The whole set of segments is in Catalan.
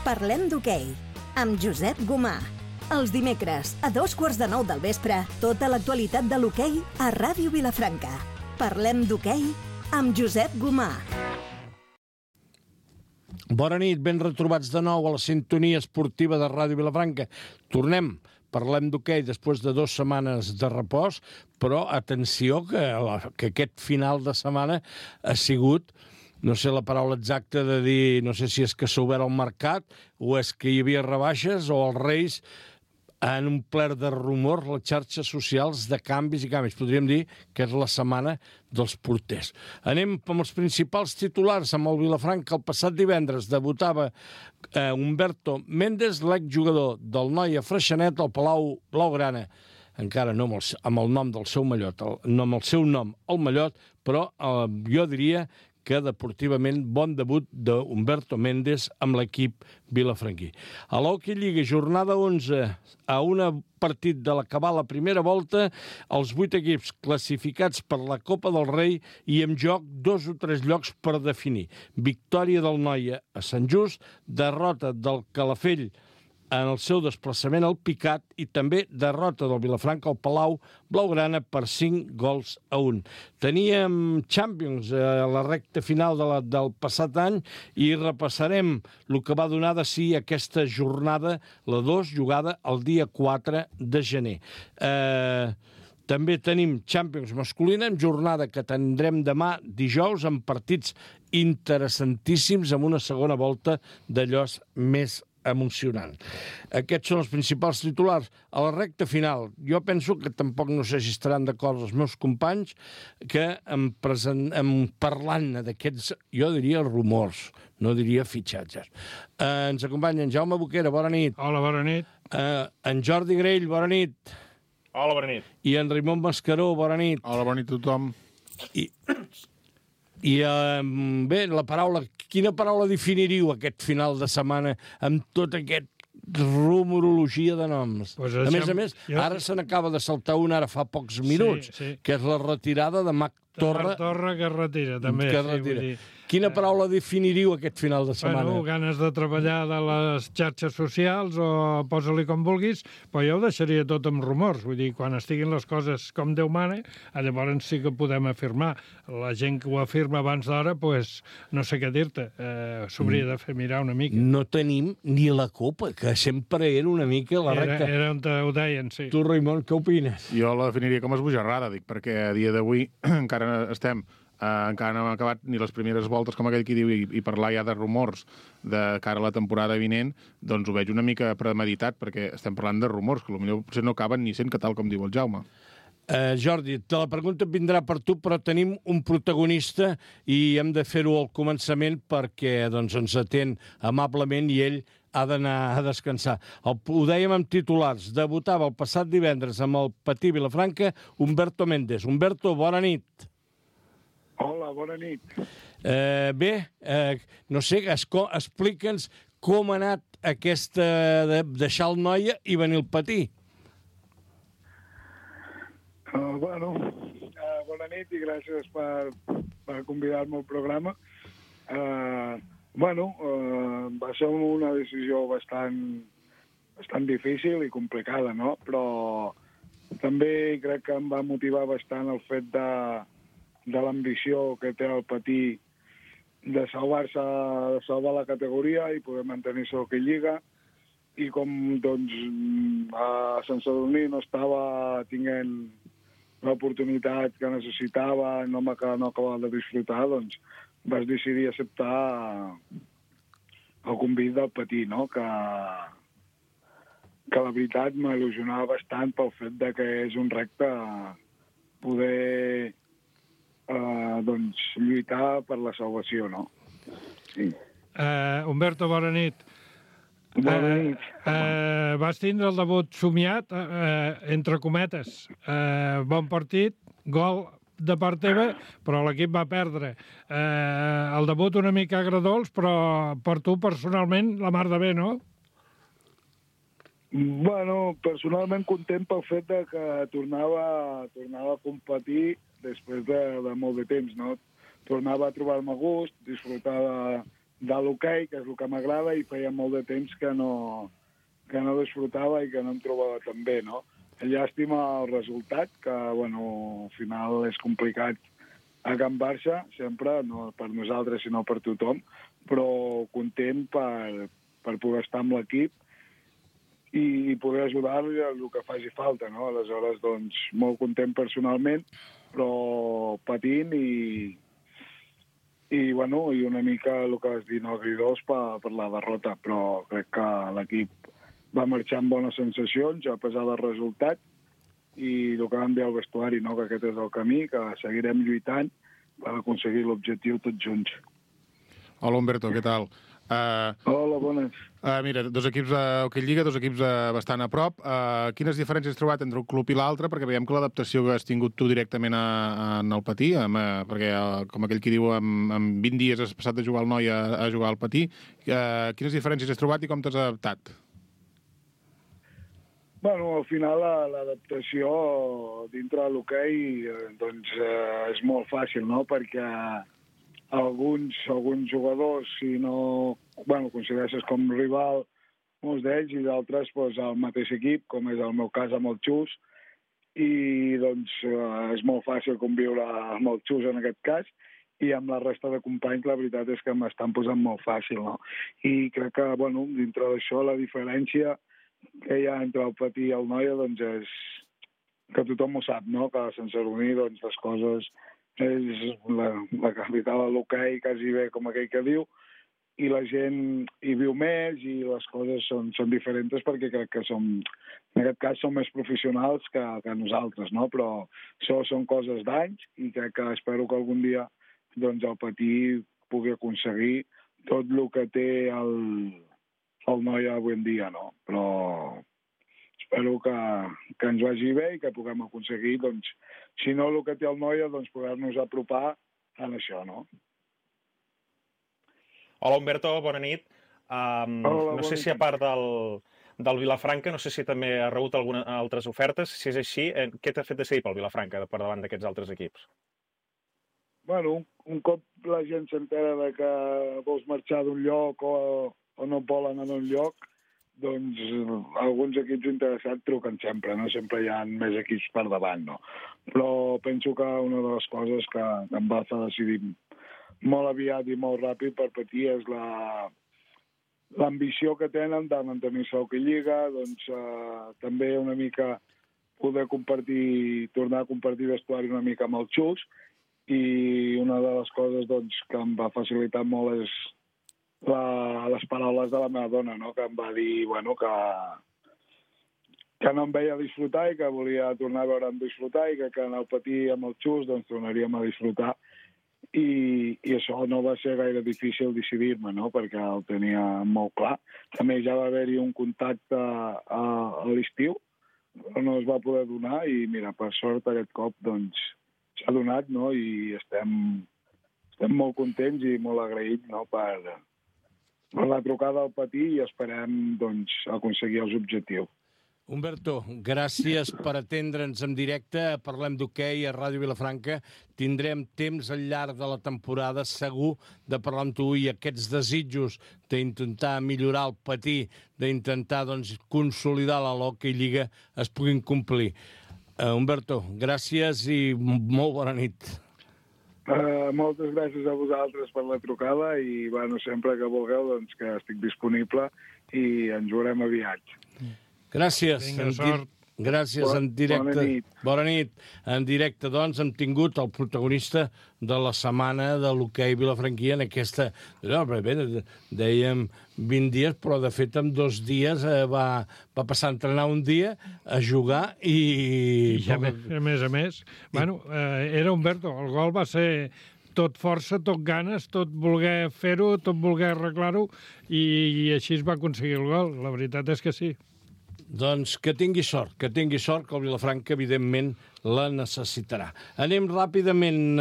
Parlem d'hoquei, amb Josep Gomà. Els dimecres, a 8:45 del vespre, tota l'actualitat de l'hoquei a Ràdio Vilafranca. Parlem d'hoquei amb Josep Gomà. Bona nit, ben retrobats de nou a la sintonia esportiva de Ràdio Vilafranca. Tornem, parlem d'hoquei després de 2 setmanes de repòs, però atenció que aquest final de setmana ha sigut, no sé la paraula exacta de dir, no sé si és que s'ha obert el mercat o és que hi havia rebaixes o els Reis han omplert de rumors les xarxes socials de canvis i canvis. Podríem dir que és la setmana dels porters. Anem amb els principals titulars. Amb el Vilafranca el passat divendres debutava Humberto Méndez, l'exjugador del Noia Freixenet al Palau Blaugrana. Encara no amb el nom del seu mallot, no amb el seu nom, el mallot, però jo diria que deportivament bon debut d'Humberto Méndez amb l'equip vilafranquí. A l'Hockey Lliga, jornada 11, a un partit de l'acabar la primera volta, els 8 equips classificats per la Copa del Rei i en joc 2 o 3 llocs per definir. Victòria del Noia a Sant Just, derrota del Calafell en el seu desplaçament al Picat i també derrota del Vilafranca al Palau Blaugrana per 5-1. Teníem Champions a la recta final del passat any i repassarem el que va donar de si aquesta jornada, la 2, jugada el dia 4 de gener. També tenim Champions masculina, en jornada que tindrem demà dijous, amb partits interessantíssims, amb una segona volta d'allòs més emocionant. Aquests són els principals titulars. A la recta final, jo penso que tampoc no sé si estaran d'acord els meus companys que parlant d'aquests, jo diria rumors, no diria fitxatges. Ens acompanya en Jaume Boquera, bona nit. Hola, bona nit. En Jordi Grell, bona nit. Hola, bona nit. I en Raimon Mascaró, bona nit. Hola, bona nit a tothom. I bé, quina paraula definiríeu aquest final de setmana amb tot aquest rumorologia de noms? Pues a més, ara se n'acaba de saltar un ara fa pocs minuts, que és la retirada de Marc Torra. Marc Torra que es retira, també. Quina paraula definiríeu aquest final de setmana? Bueno, ganes de treballar de les xarxes socials o posa-li com vulguis, però jo ho deixaria tot amb rumors. Vull dir, quan estiguin les coses com Déu mana, llavors sí que podem afirmar. La gent que ho afirma abans d'hora, doncs no sé què dir-te. S'hauria de fer mirar una mica. No tenim ni la copa, que sempre era una mica la recta. Era on ho deien, sí. Tu, Raimon, què opines? Jo la definiria com esbojarrada, dic, perquè a dia d'avui encara no hem acabat ni les primeres voltes, com aquell qui diu, i parlar ja de rumors de cara a la temporada vinent, doncs ho veig una mica premeditat, perquè estem parlant de rumors, que potser potser no acaben ni sent que tal com diu el Jaume. Jordi, la pregunta vindrà per tu, però tenim un protagonista i hem de fer-ho al començament perquè ens atén amablement i ell ha d'anar a descansar. Ho dèiem amb titulars. Debutava el passat divendres amb el Patí Vilafranca Humberto Méndez. Humberto, bona nit. Hola, bona nit. Bé, no sé, explica'ns com ha anat aquesta de deixar el Noia i venir al Patí. Bona nit i gràcies per convidar-me al programa. Va ser una decisió bastant difícil i complicada, no? Però també crec que em va motivar bastant el fet de l'ambició que té el Patí de salvar la categoria i poder mantenir-se a l'Hockey Lliga. I com, a Sant Sadurní no estava tinguent l'oportunitat que necessitava, no acabava de disfrutar, doncs vas decidir acceptar el convit del Patí, no? Que la veritat m'il·lusionava bastant pel fet de que és un repte poder lluitar per la salvació, no? Sí. Humberto, bona nit. Bona nit. Vas tindre el debut somiat, entre cometes. Bon partit, gol de part teva, però l'equip va perdre. El debut una mica agradolç, però per tu personalment la mar de bé, no? Bueno, personalment content pel fet de que tornava a competir després de molt de temps, no? Tornava a trobar-me a gust, disfrutar de l'hoquei, que és el que m'agrada, i feia molt de temps que no disfrutava i que no em trobava tan bé, no? Llàstima el resultat, que, bueno, al final és complicat a Can Barça, sempre, no per nosaltres, sinó per tothom, però content per poder estar amb l'equip i poder ajudar-li el que faci falta, no? Aleshores, doncs, molt content personalment, però patint i bueno, i una mica el que vas dir, no agridós per la derrota, però crec que l'equip va marxar amb bones sensacions, a pesar del resultat, i el que vam dir al vestuari, no? Que aquest és el camí, que seguirem lluitant per aconseguir l'objectiu tots junts. Hola, Humberto, què tal? Hola, bones. Mira, dos equips d'Hockey Lliga, dos equips bastant a prop. Quines diferències has trobat entre un club i l'altre? Perquè veiem que l'adaptació que has tingut tu directament en el Patí, perquè, com aquell qui diu, en 20 dies has passat de jugar al Noi a jugar al Patí. Quines diferències has trobat i com t'has adaptat? Bueno, al final l'adaptació dintre de l'hoquei doncs, és molt fàcil, no? Perquè alguns jugadors, si no... Bueno, consideres com rival molts d'ells i d'altres doncs, al mateix equip, com és el meu cas amb el Xus, i doncs és molt fàcil conviure amb el Xus en aquest cas, i amb la resta de companys la veritat és que m'estan posant molt fàcil, no? I crec que, bueno, dintre d'això la diferència que hi ha entre el Patí i el Noia doncs és que tothom ho sap, no? Que a Sant Sadurní doncs, les coses és la capital de l'hoquei, quasi bé com aquell que diu, i la gent hi viu més i les coses són diferents perquè crec que en aquest cas som més professionals que nosaltres, no? Però això són coses d'anys i crec que espero que algun dia doncs, el Patí pugui aconseguir tot el que té el Noia avui en dia, no? Però espero que ens vagi bé i que puguem aconseguir, doncs, si no el que té el Noia, doncs poder-nos apropar en això, no? Hola, Humberto, bona nit. No sé si a part del Vilafranca, no sé si també ha rebut algunes altres ofertes. Si és així, què t'ha fet decidir pel Vilafranca per davant d'aquests altres equips? Bueno, un cop la gent s'entera de que vols marxar d'un lloc o no et volen en un lloc, doncs alguns equips interessats truquen sempre, no? Sempre hi ha més equips per davant, no? Però penso que una de les coses que em va fer decidir molt aviat i molt ràpid per Patí és l'ambició que tenen de mantenir-se a Hockey Lliga, doncs també una mica poder tornar a compartir vestuari una mica amb el Xus, i una de les coses doncs, que em va facilitar molt és les paraules de la meva dona, no? Que em va dir bueno, que no em veia disfrutar i que volia tornar a veure'm disfrutar i que en el Patí amb el Xus doncs, tornaríem a disfrutar. I això no va ser gaire difícil decidir-me, no? Perquè el tenia molt clar. També ja va haver-hi un contacte a l'estiu, però no es va poder donar i mira, per sort aquest cop doncs, s'ha donat, no? I estem molt contents i molt agraïts, no? per la trucada al Patí i esperem doncs, aconseguir els objectius. Humberto, gràcies per atendre'ns en directe. Parlem d'hoquei a Ràdio Vilafranca. Tindrem temps al llarg de la temporada segur de parlar amb tu i aquests desitjos d'intentar millorar el Patí, d'intentar doncs, consolidar la l'Hockey Lliga es puguin complir. Humberto, gràcies i molt bona nit. Moltes gràcies a vosaltres per la trucada i bueno, sempre que vulgueu doncs, que estic disponible i ens veurem aviat. Gràcies. Vinga, sort. Gràcies, en directe. Bona nit. Bona nit. En directe, doncs, hem tingut el protagonista de la setmana de l'hoquei vilafranquí en aquesta... No, bé, dèiem 20 dies, però de fet en 2 dies va passar a entrenar un dia, a jugar i... I a més, bueno, era Humberto, el gol va ser tot força, tot ganes, tot voler fer-ho, tot voler arreglar-ho, i així es va aconseguir el gol. La veritat és que sí. Doncs que tingui sort, que el Vilafranca, evidentment, la necessitarà. Anem ràpidament.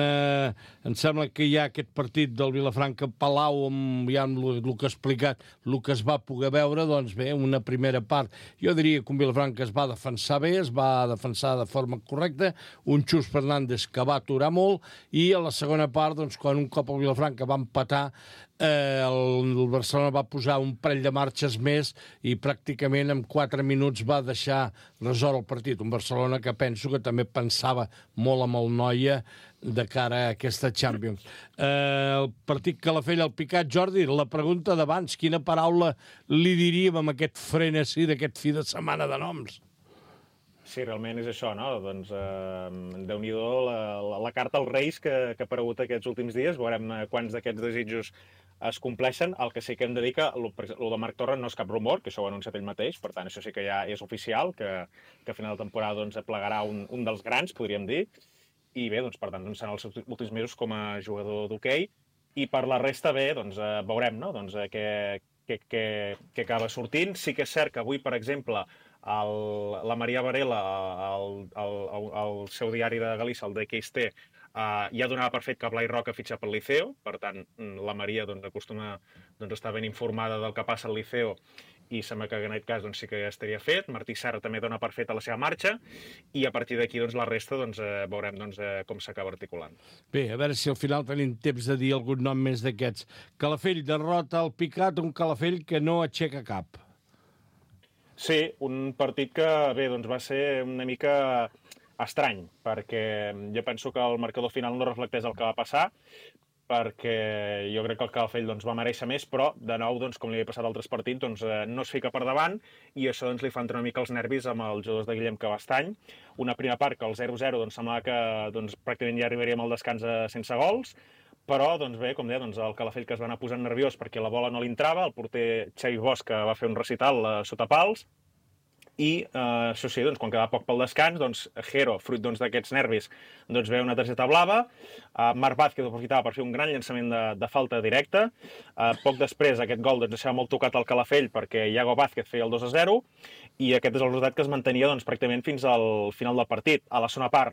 Em sembla que hi ha aquest partit del Vilafranca-Palau, amb ja el que ha explicat, el que es va poder veure, doncs bé, una primera part. Jo diria que un Vilafranca es va defensar bé, es va defensar de forma correcta, un Xus Fernández que va aturar molt, i a la segona part, doncs, quan un cop el Vilafranca va empatar, el Barcelona va posar un parell de marxes més i pràcticament en 4 minuts va deixar resolt el partit. Un Barcelona que penso que també pensava molt amb el Noia de cara a aquesta Champions. El partit Calafell-Alpicat, Jordi, la pregunta d'abans, quina paraula li diríem amb aquest frenesí d'aquest fi de setmana de noms? Sí, realment és això, no? Doncs Déu-n'hi-do la carta als Reis que ha aparegut aquests últims dies. Veurem quants d'aquests desitjos es compleixen. El que sí que hem de dir que el de Marc Torres no és cap rumor, que això ho ha anunciat ell mateix, per tant, això sí que ja és oficial, que a final de temporada doncs, plegarà un dels grans, podríem dir, i bé, doncs, per tant, doncs, seran els seus últims mesos com a jugador d'hoquei, i per la resta, bé, doncs, veurem, no? Doncs, què acaba sortint. Sí que és cert que avui, per exemple, la Maria Varela, el seu diari de Galícia, el DXT, ja donava per fet que Blai Roca fitxa pel Liceo, per tant, la Maria acostuma a estar ben informada del que passa al Liceo, i sembla que en aquest cas doncs, sí que ja estaria fet. Martí Serra també dona per fet a la seva marxa, i a partir d'aquí doncs, la resta veurem com s'acaba articulant. Bé, a veure si al final tenim temps de dir algun nom més d'aquests. Calafell derrota el Picat, un Calafell que no aixeca cap. Sí, un partit que bé, doncs, va ser una mica estrany, perquè jo penso que el marcador final no reflecteix el que va passar, perquè jo crec que el Calafell doncs, va mereixer més, però, de nou, doncs, com li havia passat a altres partits, doncs, no es fica per davant, i això doncs, li fa entrar una mica els nervis amb els jugadors de Guillem Cabastany. Una primera part que el 0-0 doncs, semblava que doncs, pràcticament ja arribaríem al descans sense gols, però, doncs bé, com deia, doncs, el Calafell que es va anar posant nerviós perquè la bola no li entrava, el porter Xavi Bosch que va fer un recital sota pals, i això sí, doncs, quan quedava poc pel descans, doncs, Jero, fruit d'aquests nervis, doncs, ve una targeta blava. Marc Vázquez aprofitava per fer un gran llançament de falta directa. Poc després, aquest gol doncs, deixava molt tocat al Calafell perquè Iago Vázquez feia el 2-0, i aquest és el resultat que es mantenia doncs, pràcticament fins al final del partit. A la segona part,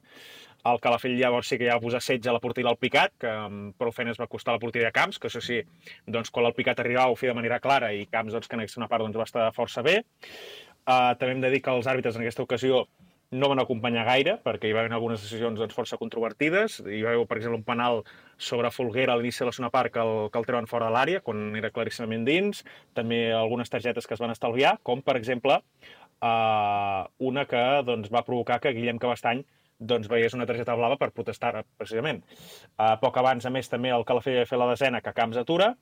el Calafell llavors sí que ja va posar setge a la porteria del Picat, que amb prou feines va costar la porteria de Camps, que això sí, doncs, quan el Picat arribava ho feia de manera clara, i Camps, doncs, que en aquesta segona part doncs, va estar força bé. També hem de dir que els àrbitres en aquesta ocasió no van acompanyar gaire, perquè hi va haver algunes decisions doncs, força controvertides. Hi va haver, per exemple, un penal sobre Folguera a l'inici de la segona part que el treuen fora de l'àrea, quan era claríssimament dins. També algunes targetes que es van estalviar, com, per exemple, una que doncs, va provocar que Guillem Cabastany doncs, veiés una targeta blava per protestar, precisament. Poc abans, a més, també el Calafell va fer la desena que Camps atura,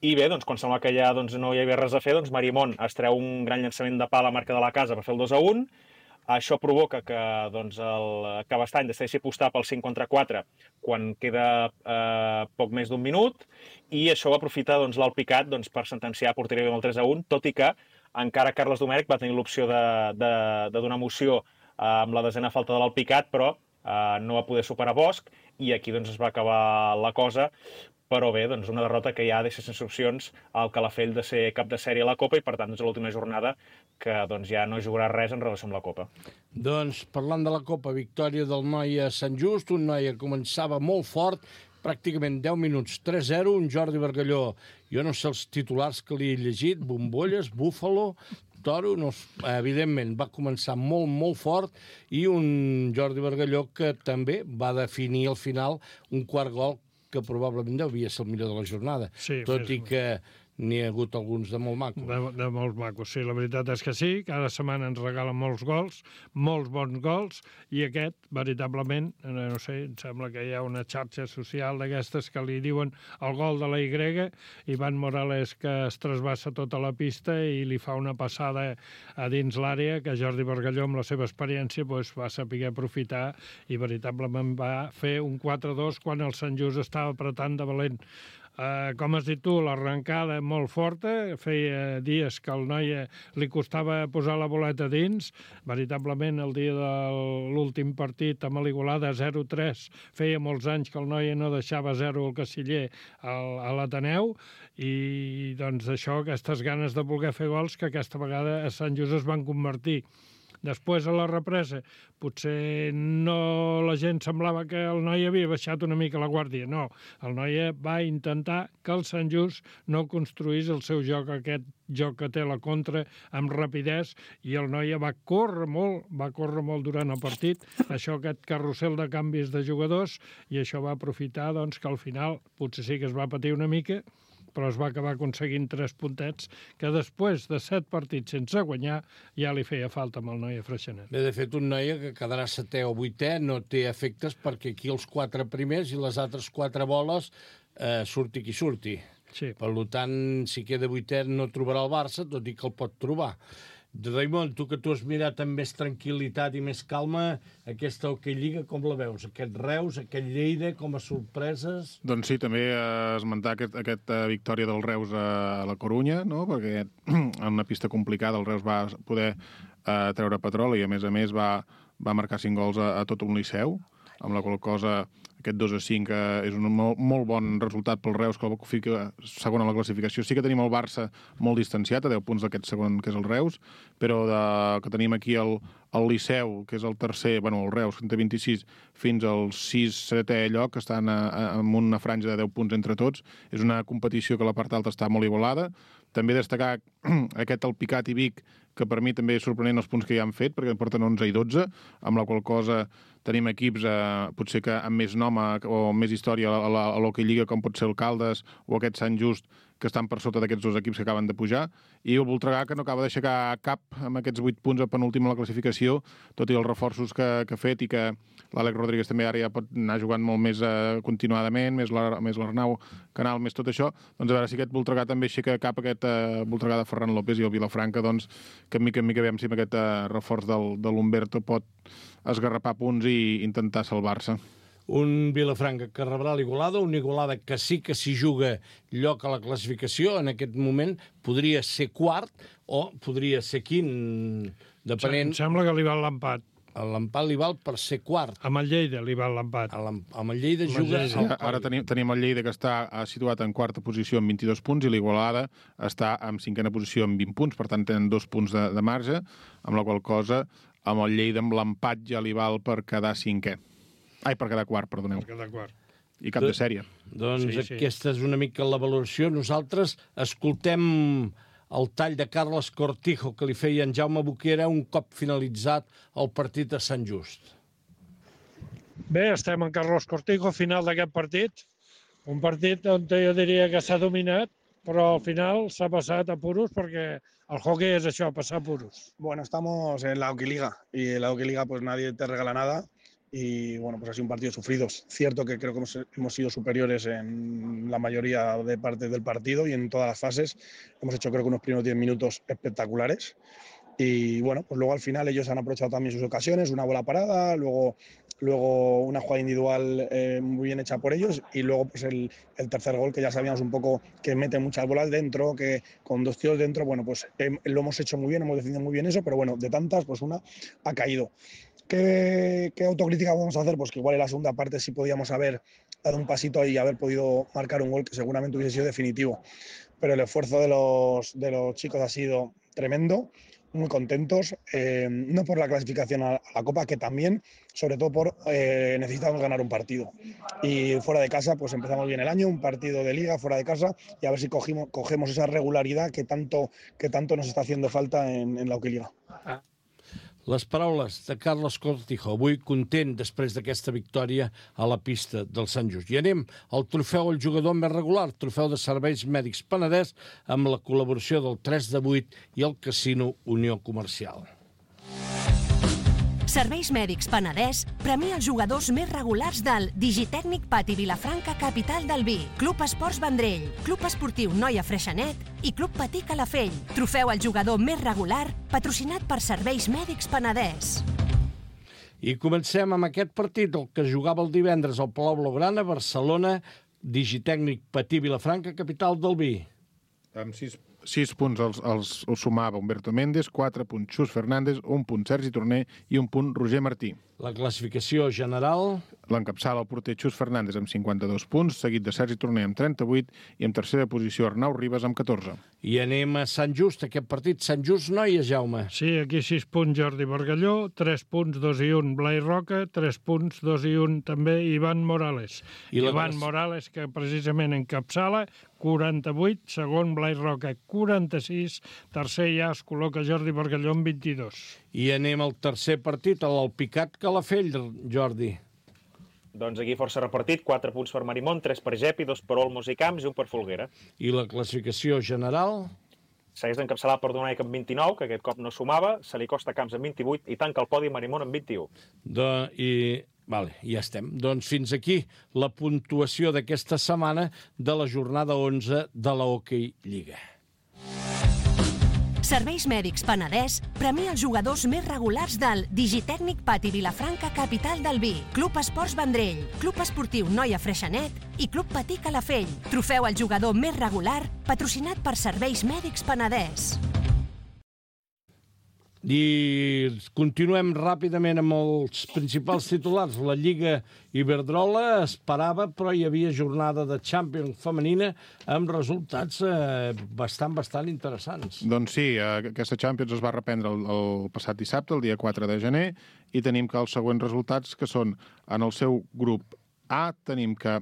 i bé, doncs, quan sembla que ja doncs, no hi havia res a fer, doncs Marimón es treu un gran llançament de pala a marca de la casa per fer el 2-1. Això provoca que doncs, el Cabastany decideixi apostar pel 5 contra 4 quan queda poc més d'1 minut, i això ho aprofita doncs, l'Alpicat doncs, per sentenciar a porteria amb el 3-1, tot i que encara Carles Domènech va tenir l'opció de donar moció amb la desena falta de l'Alpicat, però no va poder superar Bosch, i aquí doncs, es va acabar la cosa. Però bé, doncs una derrota que ja deixa sense opcions al Calafell de ser cap de sèrie a la Copa, i per tant, doncs, l'última jornada que doncs, ja no jugarà res en relació amb la Copa. Doncs, parlant de la Copa, victòria del Noia a Sant Just, un Noia que començava molt fort, pràcticament 10 minuts, 3-0, un Jordi Bargalló, jo no sé els titulars que li he llegit, bombolles, búfalo, toro, no, evidentment va començar molt, molt fort, i un Jordi Bargalló que també va definir al final un quart gol que probablement devia ser el millor de la jornada, sí, tot i que n'hi ha hagut alguns de molt macos. De molt macos, sí, la veritat és que sí, cada setmana ens regalen molts gols, molts bons gols, i aquest, veritablement, no sé, em sembla que hi ha una xarxa social d'aquestes que li diuen el gol de la Y, Ivan Morales que es trasbassa tota la pista i li fa una passada a dins l'àrea que Jordi Bargalló, amb la seva experiència, doncs, va saber aprofitar i veritablement va fer un 4-2 quan el Sant Just estava apretant de valent. Com has dit tu, l'arrencada molt forta, feia dies que al Noia li costava posar la boleta dins, veritablement el dia de l'últim partit amb l'Igualada 0-3, feia molts anys que el Noia no deixava 0 al Casiller a l'Ateneu, i doncs això, aquestes ganes de voler fer gols que aquesta vegada a Sant Just es van convertir. Després, a la represa, potser no la gent semblava que el noi havia baixat una mica la guàrdia. No, el noi va intentar que el Sant Just no construís el seu joc, aquest joc que té la contra amb rapidesa, i el noi va córrer molt durant el partit, aquest carrusel de canvis de jugadors, i això va aprofitar doncs, que al final potser sí que es va patir una mica, però es va acabar aconseguint 3 puntets que després de 7 partits sense guanyar ja li feia falta amb el noi a Freixenet. Bé, de fet, un noi que quedarà 7è o 8è no té efectes perquè aquí els 4 primers i les altres 4 boles surti qui surti. Sí. Per tant, si queda 8è no trobarà el Barça, tot i que el pot trobar. Raimon, tu que t'ho has mirat amb més tranquil·litat i més calma, aquesta Hockey Lliga com la veus? Aquest Reus, aquest Lleida, com a sorpreses? Doncs sí, també esmentar aquesta victòria del Reus a la Corunya, no? Perquè en una pista complicada el Reus va poder treure petroli i a més va marcar 5 gols a tot un Liceu, amb la qual cosa aquest 2-5 és un molt bon resultat pel Reus, que fica segon a la classificació. Sí que tenim el Barça molt distanciat, a 10 punts d'aquest segon, que és el Reus, però que tenim aquí el Liceu, que és el tercer, el Reus, que en té 26, fins al 6-7è lloc, que estan en una franja de 10 punts entre tots. És una competició que la part alta està molt igualada. També destacar aquest Alpicat i Vic, que per mi també és sorprenent els punts que ja han fet, perquè en porten 11 i 12, amb la qual cosa tenim equips potser que amb més nom o més història a l'Hockey Lliga, com pot ser el Caldes o aquest Sant Just, que estan per sota d'aquests 2 equips que acaben de pujar, i el Voltregà, que no acaba d'aixecar cap amb aquests 8 punts a penúltim a la classificació, tot i els reforços que ha fet, i que l'Àlex Rodríguez també ara ja pot anar jugant molt més continuadament, més l'Arnau Canal, més tot això. Doncs a veure si aquest Voltregà també aixeca cap, aquest Voltregà de Ferran López, i el Vilafranca, doncs, que mica en mica veiem si amb aquest reforç de l'Humberto pot esgarrapar punts i intentar salvar-se. Un Vilafranca que rebrà l'Igualada, una Igualada que sí que s'hi juga lloc a la classificació, en aquest moment podria ser quart o podria ser quint, depenent... Em sembla que li val l'empat. L'empat li val per ser quart. Amb el Lleida li val l'empat. Amb el Lleida juga... Ara tenim el Lleida, que està situat en quarta posició amb 22 punts, i l'Igualada està en 5a posició amb 20 punts, per tant tenen 2 punts de marge, amb la qual cosa amb el Lleida amb l'empat ja li val per quedar 5è. Per quedar quart, perdoneu. Per quedar quart. I cap de sèrie. Doncs sí. Aquesta és una mica la valoració. Nosaltres escoltem el tall de Carles Cortijo que li feia en Jaume Boquera un cop finalitzat el partit a Sant Just. Bé, estem en Carlos Cortijo, final d'aquest partit. Un partit on jo diria que s'ha dominat, però al final s'ha passat a puros, perquè el hockey és això, passar puros. Bueno, estamos en la Hockey Liga, y en la Hockey Liga pues nadie te regala nada. Y bueno, pues ha sido un partido sufrido. Cierto que creo que hemos sido superiores en la mayoría de partes del partido y en todas las fases. Hemos hecho creo que unos primeros 10 minutos espectaculares. Y bueno, pues luego al final ellos han aprovechado también sus ocasiones, una bola parada, luego una jugada individual muy bien hecha por ellos, y luego pues el tercer gol, que ya sabíamos un poco que mete muchas bolas dentro, que con 2 tiros dentro, bueno, pues lo hemos hecho muy bien, hemos defendido muy bien eso, pero bueno, de tantas, pues una ha caído. ¿Qué autocrítica vamos a hacer? Pues que igual en la segunda parte sí podíamos haber dado un pasito y haber podido marcar un gol que seguramente hubiese sido definitivo. Pero el esfuerzo de los chicos ha sido tremendo, muy contentos, no por la clasificación a la Copa, que también, sobre todo por necesitamos ganar un partido. Y fuera de casa, pues empezamos bien el año, un partido de Liga fuera de casa, y a ver si cogemos esa regularidad que tanto nos está haciendo falta en la Hockey Liga. Les paraules de Carles Cortijo, avui content després d'aquesta victòria a la pista del Sant Just. I anem al trofeu al jugador més regular, trofeu de Serveis Mèdics Penedès, amb la col·laboració del 3 de 8 i el Casino Unió Comercial. Serveis Mèdics Penedès premia els jugadors més regulars del Digitècnic Pati Vilafranca, capital del vi, Club Esports Vendrell, Club Esportiu Noia Freixenet i Club Patí Calafell. Trofeu al jugador més regular, patrocinat per Serveis Mèdics Penedès. I comencem amb aquest partit, el que jugava el divendres al Palau Blaugrana, Barcelona, Digitècnic Patí Vilafranca, capital del vi. Amb 6 6 punts els sumava Humberto Méndez, 4 punts Xus Fernández, 1 punt Sergi Torner i 1 punt Roger Martí. La classificació general... L'encapçala el porter Xus Fernández amb 52 punts, seguit de Sergi Torner amb 38 i en tercera posició Arnau Ribas amb 14. I anem a Sant Just, aquest partit. Sant Just, noies, Jaume. Sí, aquí 6 punts Jordi Bargalló, 3 punts, 2 i 1 Blai Roca, 3 punts, 2 i 1 també Ivan Morales. Ivan Morales, que precisament encapçala, 48, segon Blai Roca, 46, tercer ja es col·loca Jordi Bargalló amb 22. I anem al tercer partit, l'Alpicat Calafell, Jordi. Doncs aquí força repartit, 4 punts per Marimón, 3 per Gepi, 2 per Olmos i Camps i 1 per Folguera. I la classificació general... Segueix d'encapçalar per Donaic amb 29, que aquest cop no sumava, se li costa Camps amb 28 i tanca el podi Marimón amb 21. Vale, ja estem. Doncs fins aquí la puntuació d'aquesta setmana de la jornada 11 de la Hockey Lliga. Serveis Mèdics Penedès premia els jugadors més regulars del Digitècnic Pati Vilafranca, capital del vi, Club Esports Vendrell, Club Esportiu Noia Freixenet i Club Patí Calafell. Trofeu al jugador més regular, patrocinat per Serveis Mèdics Penedès. I continuem ràpidament amb els principals titulars. La Lliga Iberdrola esperava, però hi havia jornada de Champions femenina amb resultats bastant interessants. Doncs sí, aquesta Champions es va reprendre el passat dissabte, el dia 4 de gener, i tenim que els següents resultats, que són en el seu grup A, tenim que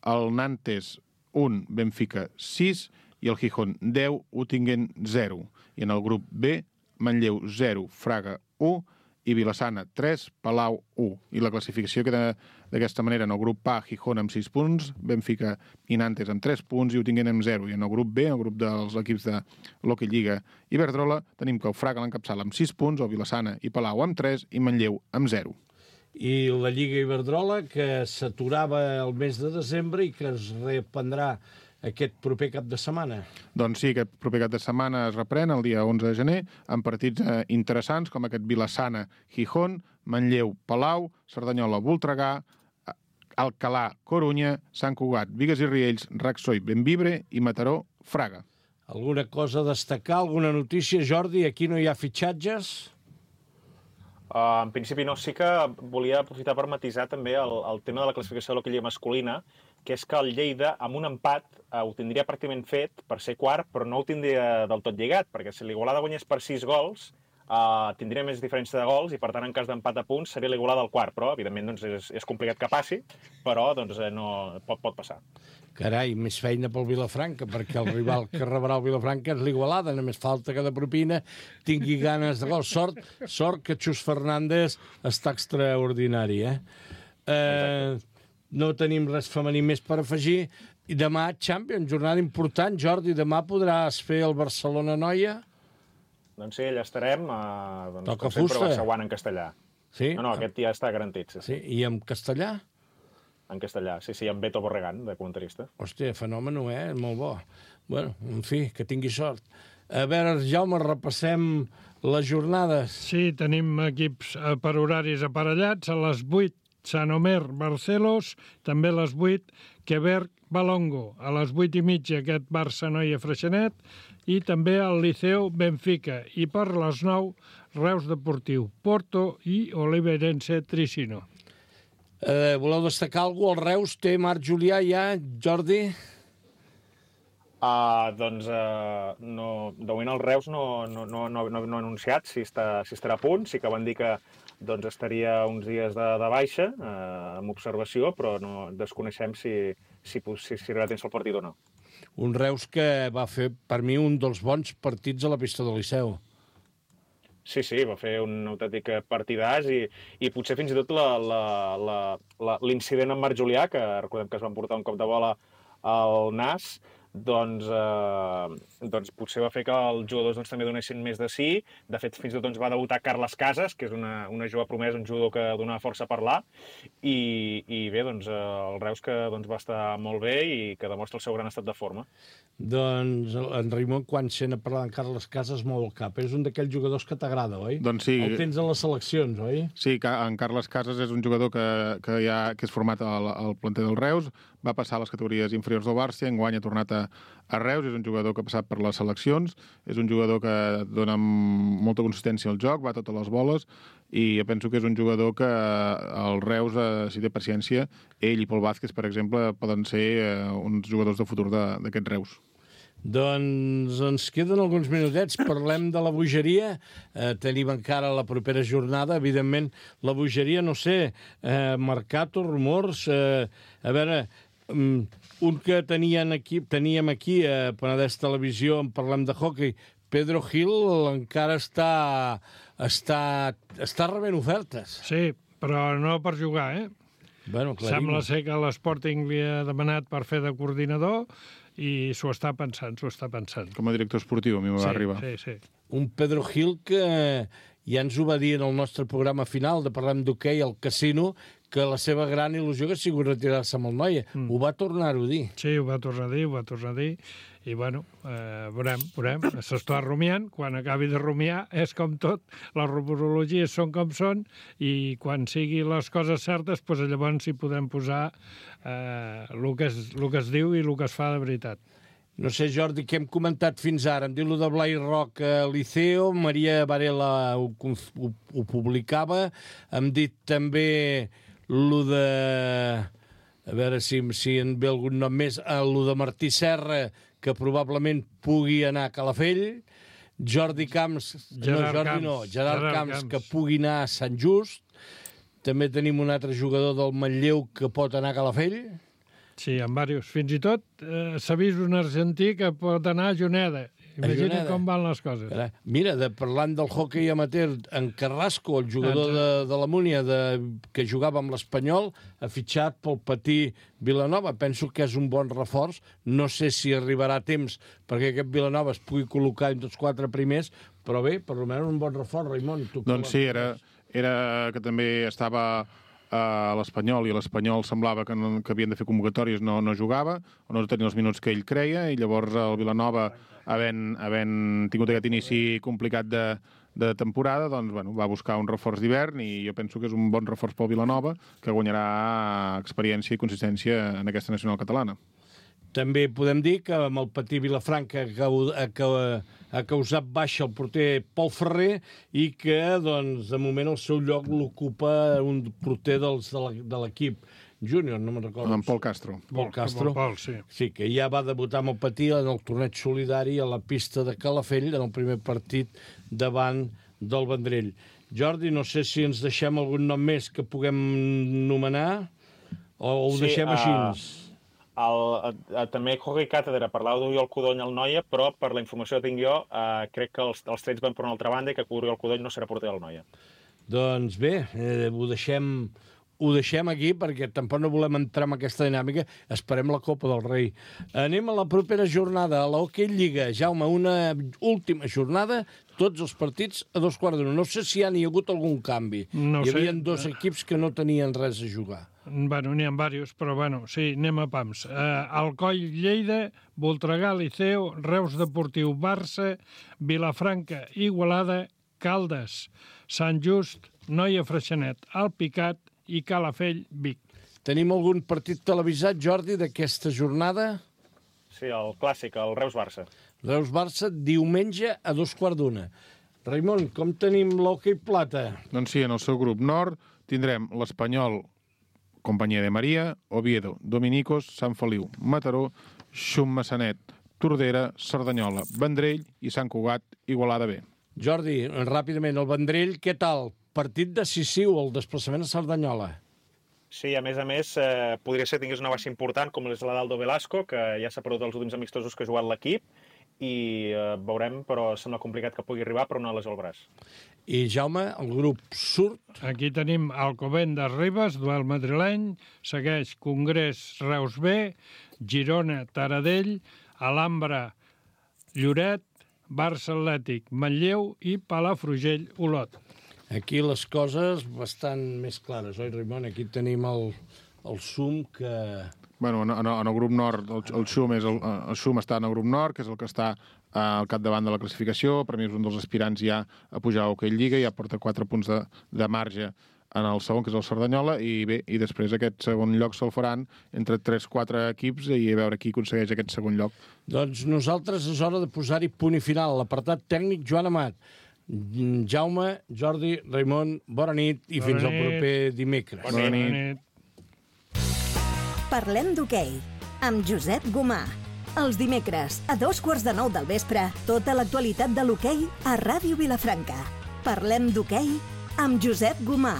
el Nantes 1, Benfica 6 i el Gijón 10, Uttingen 0. I en el grup B, Manlleu 0, Fraga 1 i Vilassana 3, Palau 1. I la classificació queda d'aquesta manera. En el grup A, Gijón amb 6 punts, Benfica i Nantes amb 3 punts i Uttingen amb 0. I en el grup B, el grup dels equips de l'Hockey Lliga Iberdrola, tenim que el Fraga l'encapçala amb 6 punts, el Vilassana i Palau amb 3 i Manlleu amb 0. I la Lliga Iberdrola, que s'aturava el mes de desembre i que es reprendrà aquest proper cap de setmana. Doncs sí, aquest proper cap de setmana es reprèn el dia 11 de gener amb partits interessants com aquest Vilassana-Gijón, Manlleu-Palau, Cerdanyola-Voltregà, Alcalà-Corunya, Sant Cugat, Bigues i Riells, Raxoi-Benvibre i Mataró-Fraga. Alguna cosa a destacar, alguna notícia, Jordi? Aquí no hi ha fitxatges? En principi no, sí que volia aprofitar per matisar també el tema de la classificació de l'Hockey Lliga masculina, que és que el Lleida, amb un empat, ho tindria pràcticament fet per ser quart, però no ho tindria del tot lligat, perquè si l'Igualada guanyés per 6 gols, tindria més diferència de gols i, per tant, en cas d'empat a punts, seria l'Igualada al quart. Però, evidentment, doncs, és complicat que passi, però doncs, no, pot passar. Carai, més feina pel Vilafranca, perquè el rival que rebrà el Vilafranca és l'Igualada. Només falta que de propina tingui ganes de gol. Sort que Xus Fernández està extraordinari, No tenim res femení més per afegir. I demà, Champions, jornada important. Jordi, demà podràs fer el Barcelona-Noia? Doncs sí, allà estarem. Toca com sempre, fusta. Barcelona en castellà. Sí? No, aquest ja està garantit. Sí? I en castellà? En castellà, sí, amb Beto Borregán, de comentarista. Hòstia, fenòmeno, molt bo. Bueno, en fi, que tingui sort. A veure, Jaume, repassem les jornades. Sí, tenim equips per horaris aparellats. A les 8, Sant Omer, Barcelos. També a les 8, Quebec, Balongo. A les 8 i mitja, aquest Barça Noia Freixenet. I també al Liceu, Benfica. I per les 9, Reus Deportiu, Porto i Oliveirense Tricino. Voleu destacar alguna cosa? El Reus té Marc Julià ja, Jordi? Doncs, no, de moment el Reus no ha anunciat si estarà a punt. Sí que van dir que doncs, estaria uns dies de baixa, amb observació, però no desconeixem si arribarà a temps el partit o no. Un Reus que va fer, per mi, un dels bons partits a la pista del Liceu. Sí, va fer un autèntic partidàs i potser fins i tot l'incident amb Marc Julià, que recordem que es van portar un cop de bola al nas, doncs potser va fer que els jugadors també donessin més de sí. De fet, fins i tot va debutar Carles Casas, que és una jove promesa, un jugador que donava força a parlar. I bé, doncs, el Reus que va estar molt bé i que demostra el seu gran estat de forma. Doncs en Raimon, quan sent a parlar d'en Carles Casas, mou el cap. És un d'aquells jugadors que t'agrada, oi? Doncs sí. El tens en les seleccions, oi? Sí, en Carles Casas és un jugador que és format al planter del Reus, va passar a les categories inferiors del Barça, enguany ha tornat a Reus, és un jugador que ha passat per les seleccions, és un jugador que dona molta consistència al joc, va a totes les boles, i penso que és un jugador que el Reus, si té paciència, ell i Pol Vázquez, per exemple, poden ser uns jugadors de futur d'aquest Reus. Doncs ens queden alguns minutets. Parlem de la bogeria. Tenim encara la propera jornada. Evidentment, la bogeria, no sé, mercato, rumors... a veure, un que teníem aquí a Penedès Televisió, en parlem de hockey, Pedro Gil encara està rebent ofertes. Sí, però no per jugar, Bueno, Sembla ser que l'Sporting li ha demanat per fer de coordinador i s'ho està pensant. Com a director esportiu, a mi va arribar. Sí. Un Pedro Gil que ja ens ho va dir en el nostre programa final de Parlem d'Hoquei al Casino, que la seva gran il·lusió que ha sigut retirar-se amb el Noia. Ho va tornar-ho a dir. Sí, ho va tornar a dir. I, bueno, veurem. S'està rumiant. Quan acabi de rumiar, és com tot. Les rumorologies són com són i quan siguin les coses certes, doncs llavors hi podem posar el que es diu i el que es fa de veritat. No sé, Jordi, què hem comentat fins ara? Em diu lo de Blai Roca Liceo, Maria Varela ho publicava, hem dit també lo de... A veure si en ve algun nom més, lo de Martí Serra, que probablement pugui anar a Calafell, Gerard Camps, que pugui anar a Sant Just, també tenim un altre jugador del Manlleu que pot anar a Calafell. Sí, en diversos. Fins i tot s'ha vist un argentí que pot anar a Juneda. Imagina com van les coses. Mira, parlant del hoquei amateur, en Carrasco, el jugador de la Múnia, que jugava amb l'Espanyol, ha fitxat pel Patí Vilanova. Penso que és un bon reforç. No sé si arribarà a temps perquè aquest Vilanova es pugui col·locar entre els 4 primers, però bé, per almenys un bon reforç, Raimon. Doncs sí, era que també estava a l'Espanyol, i l'Espanyol semblava que havien de fer convocatòries, no jugava, o no tenia els minuts que ell creia, i llavors el Vilanova, havent tingut aquest inici complicat de temporada, doncs va buscar un reforç d'hivern, i jo penso que és un bon reforç pel Vilanova, que guanyarà experiència i consistència en aquesta nacional catalana. També podem dir que amb el Patí Vilafranca ha causat baixa el porter Pol Ferrer i que, doncs, de moment el seu lloc l'ocupa un porter de l'equip júnior, no me'n recordo. En Pol Castro. Pol Castro. Sí. Sí, que ja va debutar amb el Patí en el torneig solidari a la pista de Calafell en el primer partit davant del Vendrell. Jordi, no sé si ens deixem algun nom més que puguem nomenar o ho deixem així. També Hockey Càtedra parlava d'Oriol Codony al Noia, però per la informació que tinc jo, crec que els trets van per una altra banda i que Oriol Codony no serà porter del Noia. Doncs bé, ho deixem aquí perquè tampoc no volem entrar en aquesta dinàmica. Esperem la Copa del Rei. Anem a la propera jornada, a l'Hockey Lliga. Jaume, una última jornada, tots els partits a 2:15. No sé si hi ha hagut algun canvi. Hi havia 2 equips que no tenien res a jugar. Bueno, n'hi ha diversos, però bueno, sí, anem a pams. Alcoi, Lleida, Voltregà, Liceo, Reus Deportiu, Barça, Vilafranca, Igualada, Caldes, Sant Just, Noia Freixenet, Alpicat i Calafell, Vic. Tenim algun partit televisat, Jordi, d'aquesta jornada? Sí, el clàssic, el Reus-Barça. Reus-Barça, diumenge a 2:15. Raimon, com tenim l'hoquei plata? Doncs sí, en el seu grup nord tindrem l'Espanyol, Companyia de Maria, Oviedo, Dominicos, Sant Feliu, Mataró, Xum-Massanet, Tordera, Cerdanyola, Vendrell i Sant Cugat, Igualada B. Jordi, ràpidament, el Vendrell, què tal? Partit decisiu, el desplaçament a Cerdanyola. Sí, a més, podria ser que tingués una baixa important, com és la d'Aldo Velasco, que ja s'ha perdut els últims amistosos que ha jugat l'equip, i veurem, però sembla complicat que pugui arribar per una lesió al braç. I Jaume, el grup surt. Aquí tenim Alcobendas Ribes, duel madrileny, segueix Congrés Reus B, Girona Taradell, Alhambra Lloret, Barça Atlètic Manlleu i Palafrugell Olot. Aquí les coses bastant més clares, oi, Raimon? Aquí tenim el Xum que... Bueno, en el grup nord, el Xum està en el grup nord, que és el que està al capdavant de la classificació. Per mi és un dels aspirants ja a pujar a Hockey Lliga, ja porta 4 punts de marge en el segon, que és el Cerdanyola, i bé, i després aquest segon lloc se'l faran entre 3-4 equips i a veure qui aconsegueix aquest segon lloc. Doncs nosaltres és hora de posar-hi punt i final. L'apartat tècnic, Joan Amat. Jaume, Jordi, Raimon, bona nit i fins al proper dimecres. Bona nit. Parlem d'hoquei, amb Josep Gomà. Els dimecres, a 8:45 del vespre, tota l'actualitat de l'hoquei a Ràdio Vilafranca. Parlem d'hoquei amb Josep Gomà.